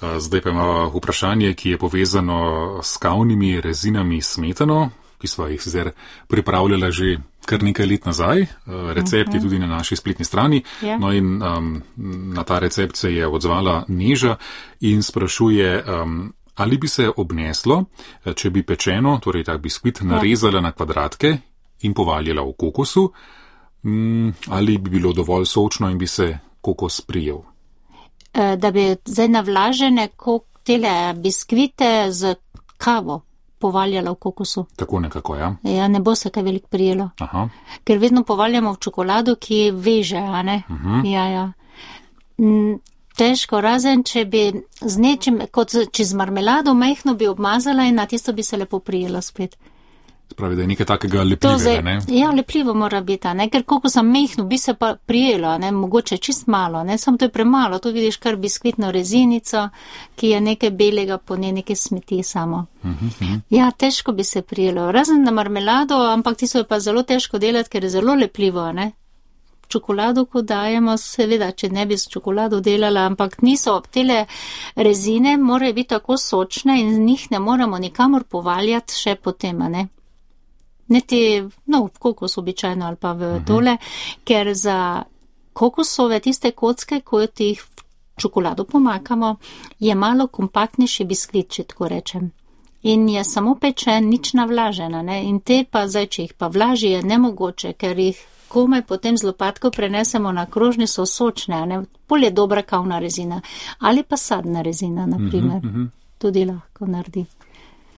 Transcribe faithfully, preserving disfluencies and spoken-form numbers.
Zdaj pa ima vprašanje, ki je povezano s kavnimi rezinami smetano, ki smo jih sicer pripravljala že kar nekaj let nazaj. Recept je tudi na naši spletni strani. No in um, na ta recept se je odzvala Neža in sprašuje, um, ali bi se obneslo, če bi pečeno, torej ta biskvit, narezala na kvadratke in povaljala v kokosu, um, ali bi bilo dovolj sočno in bi se kokos prijel. Da bi zdaj navlažene tele biskvite z kavo povaljala v kokosu. Tako nekako, ja. Ja, ne bo se kaj veliko prijelo. Aha. Ker vedno povaljamo v čokolado, ki veže, a ne? Uh-huh. Ja, ja. Težko, razen, če bi z nečim, kot če z marmelado majhno bi obmazala in na tisto bi se lepo prijelo spet. Spravi, da je nekaj takega lepljivega, ne? Ja, lepljivo mora biti, ne? Ker kokosa majhno bi se pa prijelo, ne? Mogoče čist malo, ne? Samo to je premalo, to vidiš kar biskvitno rezinico, ki je nekaj belega, po njej nekaj smeti samo. Uh-huh. Ja, težko bi se prijelo, razen na marmelado, ampak tisto je pa zelo težko delati, ker je zelo lepljivo, ne? Čokolado, ko dajemo, seveda, če ne bi s čokolado delala, ampak niso, tele rezine morajo biti tako sočne in z njih ne moramo nikamor povaljati še potem, ne? Niti, no, v kokos običajno ali pa v tole, uh-huh. Ker za kokosove tiste kocke, ko jih v čokolado pomakamo, je malo kompaktnejši biskvit, če tako rečem. In je samo pečen, nič navlažena, ne? In te pa zdaj, če jih pa vlaži, je nemogoče, ker jih komaj potem z lopatko prenesemo na krožni, so sočne, ne? Bolj je dobra kavna rezina. Ali pa sadna rezina, na primer. Uh-huh, uh-huh. Tudi lahko naredi.